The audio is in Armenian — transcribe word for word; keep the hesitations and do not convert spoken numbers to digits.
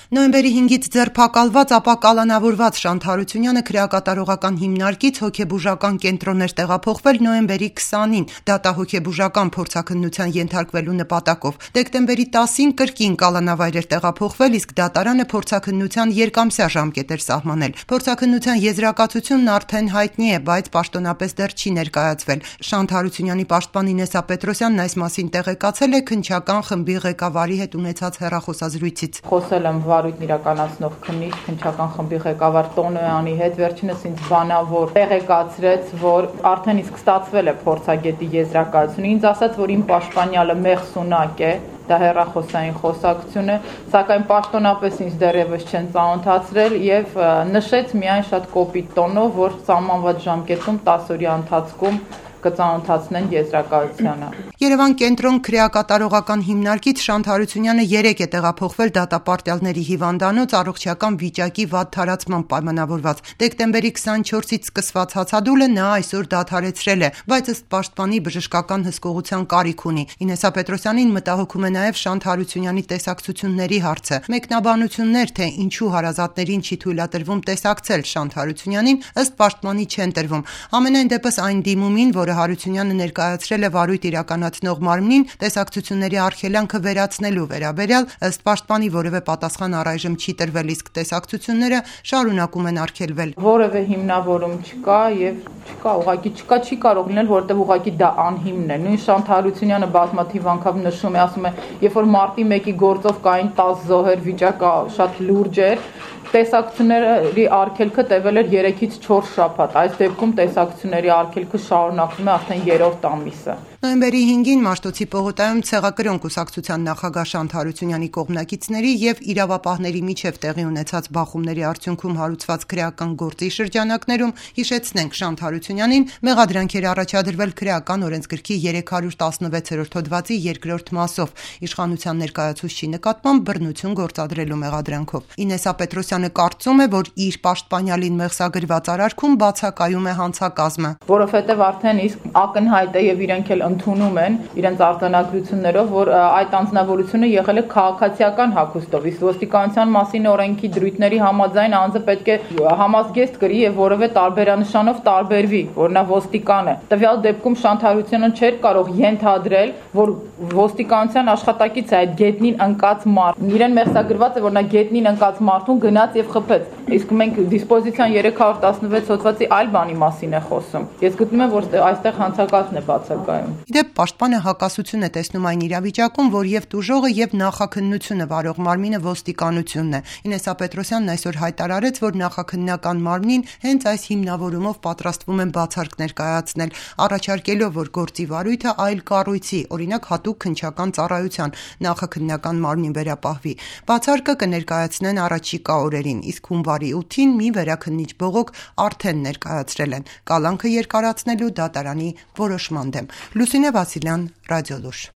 Նոյեմբերի հինգից ձերբակալված, ապա կալանավորված Շանթ Հարությունյանը քրեակատարողական հիմնարկից հոգեբուժական կենտրոն էր տեղափոխվել նոյեմբերի քսանին դատահոգեբուժական փորձաքննության ենթարկվելու նպատակով։ Դեկտեմբերի տասին կրկին կալանավայր էր տեղափոխվել, իսկ դատարանը փորձաքննության երկամսյա ժամկետ էր սահմանել։ Փորձաքննության եզրակացությունն արդեն հայտնի է, բայց պաշտոնապես դեռ չի ներկայացվել։ Շանթ Հարությունյանի պաշտպան Ինեսսա Պետրոսյանն այս մասին տեղեկացել է քննչական խմբի ղեկավարի հետ ունեցած հեռախոսազրույցից։ Խոսել եմ վարույթն իրականացնող քննիչ քննչական խմբի ղեկավար Տոնոյանի հետ, վերջինս ինձ բանավոր տեղեկացրեց, որ արդեն իսկ ստացվել է փորձագետի եզրակացությունը, ինձ ասաց, որ իմ պաշտպանյալը մեղսունակ է, դա հեռախոսային խոսակցություն է, սակայն պաշտոնապես ինձ դեռևս չեն ծանոթացրել եւ նշեց միայն շատ կոպիտ տոնով, որ սահմանված ժամկետում տասը օրյա ընթացքում կծանոթացնեն եզրակացությանը։ Երևան կենտրոն քրեակատարողական հիմնարկից Շանթ Հարությունյանը երեկ է տեղափոխվել դատապարտյալների հիվանդանոց առողջական վիճակի վատ թարացման պայմանավորված։ Դեկտեմբերի քսանչորսից սկսված հացադուլը նա այսօր դադարեցրել է, բայց ըստ պաշտպանի բժշկական հսկողության կարիք ունի։ Ինեսսա Պետրոսյանին մտահոգում է նաև Շանթ Հարությունյանի տեսակցությունների հարցը։ Մեկնաբանություններ, թե ինչու հարազատներին չի թույլատրվում տեսակցել Շանթ Հարությունյանին, ըստ պաշտպանի չեն տրվում։ Ամենայն դեպս այն դիմումին, որ Հարությունյանը ներկայացրել է վարույթ իրականացնող մարմնին տեսակցությունների արգելանքը վերացնելու վերաբերյալ, ըստ պաշտպանի որևէ պատասխան առայժմ չի տրվել, իսկ տեսակցությունները շարունակում են արգելվել։ Որևէ հիմնավորում չկա եւ չկա, ուղղակի չկա, չի կարող լինել, որովհետեւ ուղղակի դա անհիմն է։ Նույն Շանթ Հարությունյանը բազմաթիվ անգամ նշում է, ասում է, երբ որ մարտի մեկի գործով կային տասը զոհեր, վիճակը շատ լուրջ էր, տեսակցությունների արգելքը տևել էր երեքից չորս շաբաթ։ Այս դեպքում տեսակցությունների արգելքը շարունակվում է արդեն երրորդ ամիսը։ Նոյեմբերի հինգին Մաշտոցի պողոտայում ցեղակրոն կուսակցության նախագահ Շանթ Հարությունյանի կողմնակիցների եւ իրավապահների միջև տեղի ունեցած բախումների արդյունքում հարուցված քրեական գործի շրջանակներում, հիշեցնենք, Շանթ Հարությունյանին մեղադրանք էր առաջադրվել քրեական օրենսգրքի երեք հարյուր տասնվեցերորդ հոդվածի երկրորդ մասով իշխանության ներկայացուցչի նկատմամբ բռնություն գործադրելու մեղադրանքով։ Ինեսսա Պետրոսյանը կարծում է, որ իր պաշտպանյալին մեղսագրված արարքում բացակայում է հանցակազմը, որովհետեւ արդեն իսկ ակնհայտ է եւ իրենք էլ ընդունում են իրենց արտոնագրություններով, որ այդ անձնավորությունը եղել է քաղաքացիական հագուստով, իսկ ոստիկանության մասին օրենքի դրույթների համաձայն անձը պետք է համազգեստ կրի եւ որևէ տարբերանշանով տարբերվի, որ նա ոստիկան է։ Տվյալ դեպքում Շանթ Հարությունյանը չէր կարող ենթադրել, որ ոստիկանության աշխատակից է այդ գետնին ընկած մարդ։ Իրեն մեղսագրված է, որ նա գետնին ընկած մարդուն գնաց եւ խփեց։ Իսկ մենք դիսպոզիցիան երեք հարյուր տասնվեց հոդվածի այլ բանի մասին է խոսում։ Ես գտնում եմ, որ այստեղ հանցակազմն է բացակայում։ Իդեպ պաշտպանը հակասություն է տեսնում այն իրավիճակում, որ եւ տուժողը եւ նախաքննությունը վարող մարմինը ոստիկանությունն է։ Ինեսսա Պետրոսյանն այսօր հայտարարեց, որ նախաքննական մարմնին հենց այս հիմնավորումով պատրաստվում են բացարկ ներկայացնել, առաջարկելով, որ գործի վարույթը այլ կառույցի, օրինակ հատուկ քննչական ծառայության նախաքննական մարմնին վերապահվի։ Բացարկը կներկայացնեն առաջիկա օրերին, իսկ հունվարի ութին մի վերաքննիչ բողոք արդեն ներկայացրել են կալանքը երկարացնելու դատարանի որոշման դեմ։ Լուսինե Վասիլյան, Ռադիոլուր։